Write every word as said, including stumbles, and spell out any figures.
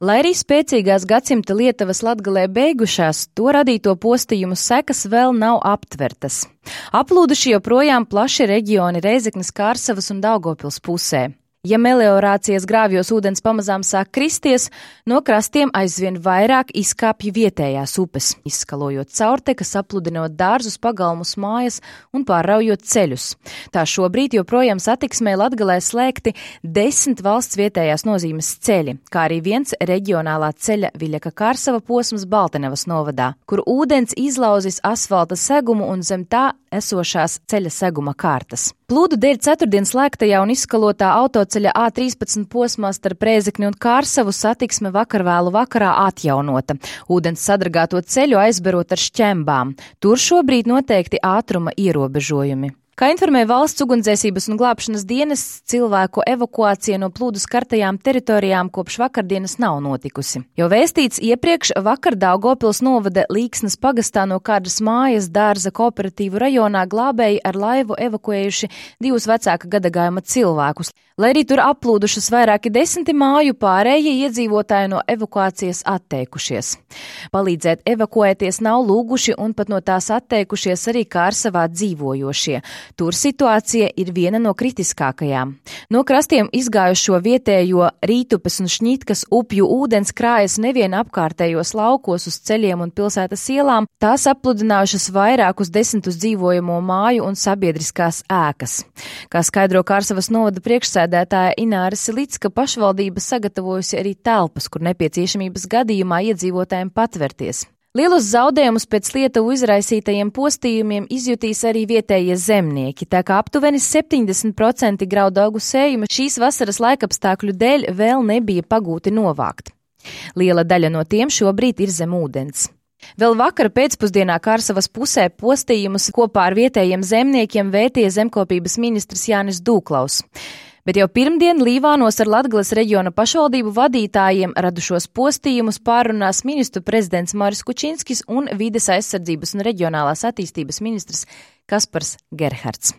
Lai arī spēcīgās gadsimta Lietuvas Latgalē beigušās, to radīto postījumu sekas vēl nav aptvertas. Aplūduši joprojām plaši reģioni Reizeknes, Kārsavas un Daugavpils pusē. Ja meliorācijas grāvjos ūdens pamazām sāk kristies, no krastiem aizvien vairāk izkāpj vietējās upes, izskalojot caurtekas, apludinot dārzus, pagalmus, mājas un pārraujot ceļus. Tā šobrīd joprojām satiksmē Latgalē slēgti desmit valsts vietējās nozīmes ceļi, kā arī viens reģionālā ceļa Viļaka Kārsava posms Baltenevas novadā, kur ūdens izlauzis asfalta segumu un zem tā esošās ceļa seguma kārtas. Plūdu dēļ ceturtdien slēgtajā un izskalotā autoceļa A trīspadsmit posmā starp Rēzekni un Kārsavu satiksme vakar vēlu vakarā atjaunota, ūdens sadragāto ceļu aizberot ar šķembām. Tur šobrīd noteikti ātruma ierobežojumi. Kā informē Valsts ugunsdzēsības un glābšanas dienests, cilvēku evakuācija no plūdu skartajām teritorijām kopš vakardienas nav notikusi. Jau vēstīts iepriekš, vakar Daugavpils novada Līksnas pagastā no kādas mājas dārza kooperatīvu rajonā glābēji ar laivu evakuējuši divus vecāka gadagājuma cilvēkus. Lai arī tur aplūdušas vairāki desmiti māju, pārējie iedzīvotāji no evakuācijas atteikušies. Palīdzēt evakuēties nav lūguši un pat no tās atteikušies arī Kārsavā dzīvojošie. Tur situācija ir viena no kritiskākajām. No krastiem izgājušo vietējo Rītupes un Šņitkas upju ūdens krājas nevien apkārtējos laukos uz ceļiem un pilsētas ielām, tās apludinājušas vairākus desmitus dzīvojamo māju un sabiedriskās ēkas. Kā skaidro Kārsavas novada priekšsēdētāja Ināra Silicka, pašvaldība sagatavojusi arī telpas, kur nepieciešamības gadījumā iedzīvotājiem patverties. Lielus zaudējumus pēc Lietuvu izraisītajiem postījumiem izjutīs arī vietējie zemnieki, tā kā aptuveni septiņdesmit procenti graudaugu sējuma šīs vasaras laikapstākļu dēļ vēl nebija pagūti novākt. Liela daļa no tiem šobrīd ir zem ūdens. Vēl vakar pēcpusdienā Kārsavas pusē postījumus kopā ar vietējiem zemniekiem vētīja zemkopības ministrs Jānis Dūklaus. Bet jau pirmdien Līvānos ar Latgales reģiona pašvaldību vadītājiem radušos postījumus pārunās ministru prezidents Maris Kučinskis un vides aizsardzības un reģionālās attīstības ministrs Kaspars Gerhards.